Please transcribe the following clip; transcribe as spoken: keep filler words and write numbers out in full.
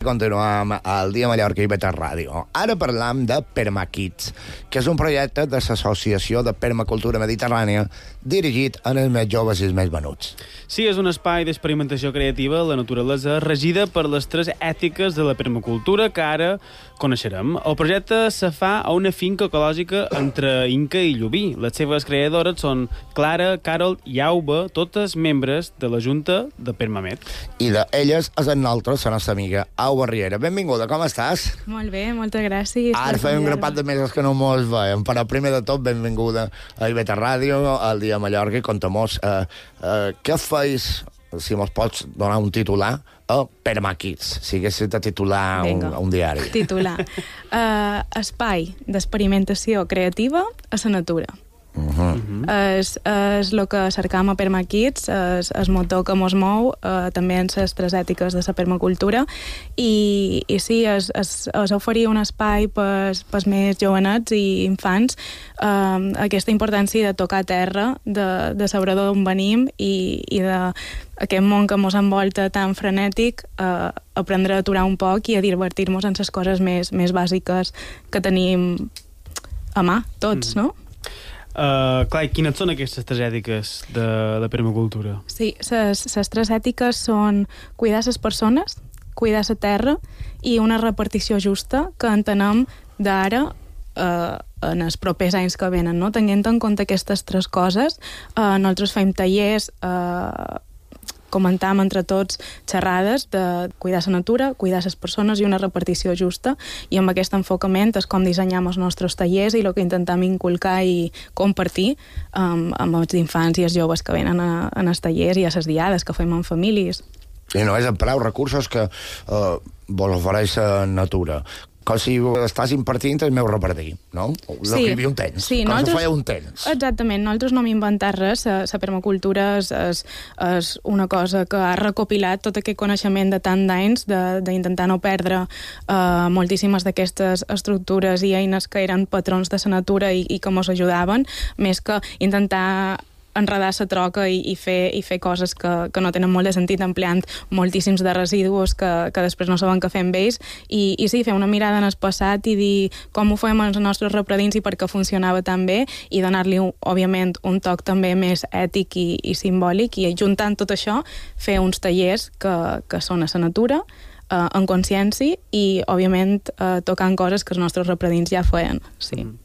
Continuem al Dia Mallorca i Beta Ràdio. Ara parlam de Permakids, que és un projecte de l'Associació de Permacultura Mediterrània dirigit als més joves i els més venuts. Sí, és un espai d'experimentació creativa a la naturalesa regida per les tres ètiques de la permacultura que ara coneixerem. El projecte se fa a una finca ecològica entre Inca i Llubí. Les seves creadores són Clara, Carol i Auba, totes membres de la Junta de Permamed. I d'elles és en nosaltres, la nostra amiga Auba Riera. Benvinguda, com estàs? Molt bé, moltes gràcies. Ara feim un grapat de mesos que no mos veiem, però primer de tot, benvinguda a Ibeta Ràdio, al Dia Mallorca, i contem-nos eh, eh, què feis, si mos pots donar un titular, a Permakids, si haguessis de titular un, un diari. Titular. Uh, espai d'experimentació creativa a la natura. Uh-huh. És, és el que cercam a Permakids, és el motor que mos mou, eh, també en les tres ètiques de la permacultura, i, i sí, és, és, és oferir un espai pels, pels més jovenets i infants, eh, aquesta importància de tocar terra, de, de saber d'on venim i, i de aquest món que mos envolta tan frenètic, eh, aprendre a aturar un poc i a divertir-nos en les coses més, més bàsiques que tenim a mà, tots, mm. no? Uh, clar, i quines són aquestes tres ètiques de la permacultura? Sí, les tres ètiques són cuidar les persones, cuidar la terra i una repartició justa que entenem d'ara eh, en els propers anys que venen, no? Tenint en compte aquestes tres coses, eh, nosaltres fem tallers, eh, comentam entre tots xerrades de cuidar la natura, cuidar les persones i una repartició justa, i amb aquest enfocament és com dissenyam els nostres tallers i el que intentam inculcar i compartir um, amb els infants i els joves que venen a, a els tallers i a les diades que fem amb famílies. I no és en prou recursos que eh, vos ofereix la natura. Com si estàs impartint el meu repartir, no? El sí, que hi havia un temps. Sí, com nosaltres, se feia un temps. Exactament, nosaltres no hem inventat res, la permacultura és, és, és una cosa que ha recopilat tot aquest coneixement de tant d'anys, d'intentar no perdre uh, moltíssimes d'aquestes estructures i eines que eren patrons de la natura i, i que ens ajudaven, més que intentar enredar la troca i, i, fer, i fer coses que, que no tenen molt de sentit, empleant moltíssims de residus que, que després no saben què fer amb ells, i, i sí, fer una mirada en el passat i dir com ho fem als nostres repredins i per què funcionava tan bé, i donar-li, òbviament, un toc també més ètic i, i simbòlic, i juntant tot això, fer uns tallers que, que són a la natura, eh, en consciència, i, òbviament, eh, tocant coses que els nostres repredins ja feien. Sí. Mm.